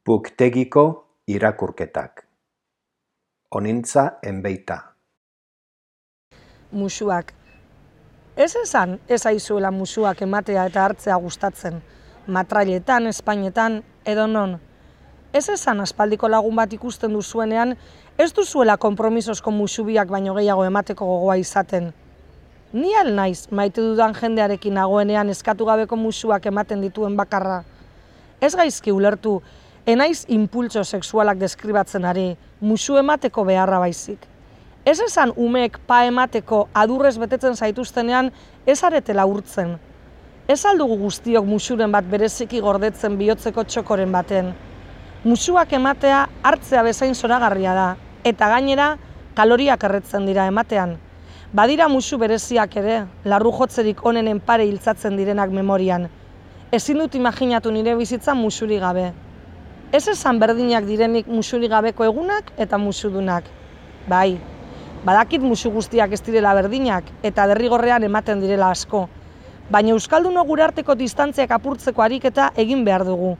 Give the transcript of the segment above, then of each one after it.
Puktegiko irakurketak. Onintza enbeita. Musuak. Ez esan ez aizuela musuak ematea eta hartzea gustatzen. Matrailetan, espainetan, edo non. Ez esan aspaldiko lagun bat ikusten duzuenean, ez duzuela konpromisozko musubiak baino gehiago emateko gogoa izaten. Ni al naiz maite dudan jendearekin nagoenean eskatu gabeko musuak ematen dituen bakarra. Ez gaizki ulertu, enaiz impultso sexualak deskribatzen ari, musu emateko beharra baizik. Ez esan umeek pa emateko adurrez betetzen zaituztenean ez aretela urtzen. Ez aldugu guztiok musuren bat bereziki gordetzen bihotzeko txokoren baten. Musuak ematea hartzea bezain zoragarria da, eta gainera kaloriak erretzen dira ematean. Badira musu bereziak ere, larru jotzerik onenen pare hiltzatzen direnak memorian. Ezin dut imaginatu nire bizitza musuri gabe. Ez esan berdinak direnik musuri gabeko egunak eta musudunak. Bai, badakit musu guztiak ez direla berdinak eta derrigorrean ematen direla asko. Baina euskaldunok gure arteko distantziak apurtzeko ariketa egin behar dugu.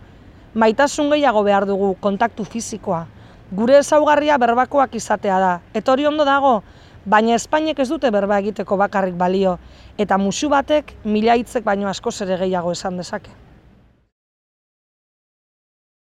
Maitasun gehiago behar dugu, kontaktu fisikoa. Gure ezaugarria berbakoak izatea da. Eta hori ondo dago, baina Espainek ez dute berba egiteko bakarrik balio. Eta musu batek mila hitzek baino askoz ere gehiago esan dezake.